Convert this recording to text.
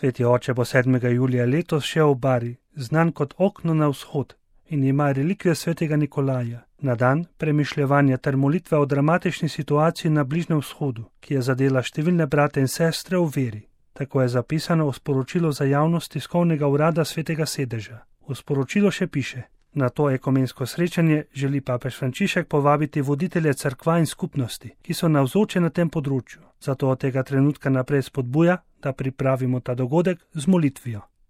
Sveti oče bo 7. julija letos šel v Bari, znan kot okno na vzhod, in ima relikvijo svetega Nikolaja, na dan premišljevanja ter molitve o dramatični situaciji na Bližnjem vzhodu, ki je zadela številne brate in sestre v veri. Tako je zapisano v sporočilu za javnost tiskovnega urada Svetega sedeža. V sporočilu še piše: na to ekumensko srečanje želi papež Frančišek povabiti voditelje cerkva in skupnosti, ki so navzoči na tem področju. Zato od tega trenutka naprej spodbuja, da pripravimo ta dogodek z molitvijo.